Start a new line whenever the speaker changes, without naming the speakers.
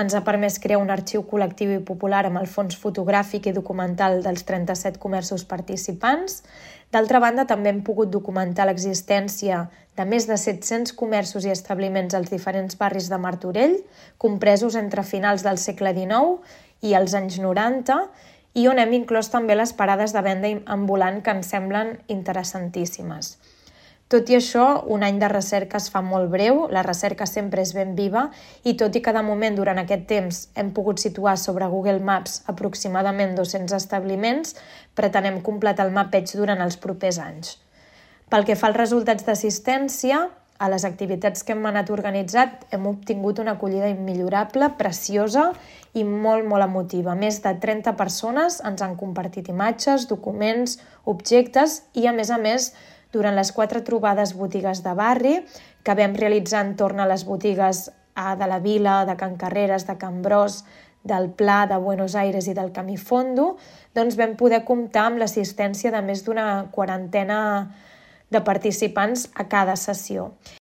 ens ha permès crear un arxiu col·lectiu i popular amb el fons fotogràfic i documental dels 37 comerços participants. D'altra banda, també hem pogut documentar l'existència de més de 700 comerços i establiments als diferents barris de Martorell, compresos entre finals del segle XIX i els anys 90, i on hem inclòs també les parades de venda ambulant que ens semblen interessantíssimes. Tot i això, un any de recerca es fa molt breu, la recerca sempre és ben viva i tot i que de moment durant aquest temps hem pogut situar sobre Google Maps aproximadament 200 establiments, pretenem completar el mapeig durant els propers anys. Pel que fa als resultats d'assistència, a les activitats que hem anat organitzat hem obtingut una acollida immillorable, preciosa i molt emotiva. Més de 30 persones ens han compartit imatges, documents, objectes i, a més, durant les 4 trobades botigues de barri que vam realitzar entorn a les botigues de la Vila, de Can Carreres, de Can Bros, del Pla, de Buenos Aires i del Camí Fondo, doncs vam poder comptar amb l'assistència de més d'una quarantena de participants a cada sessió.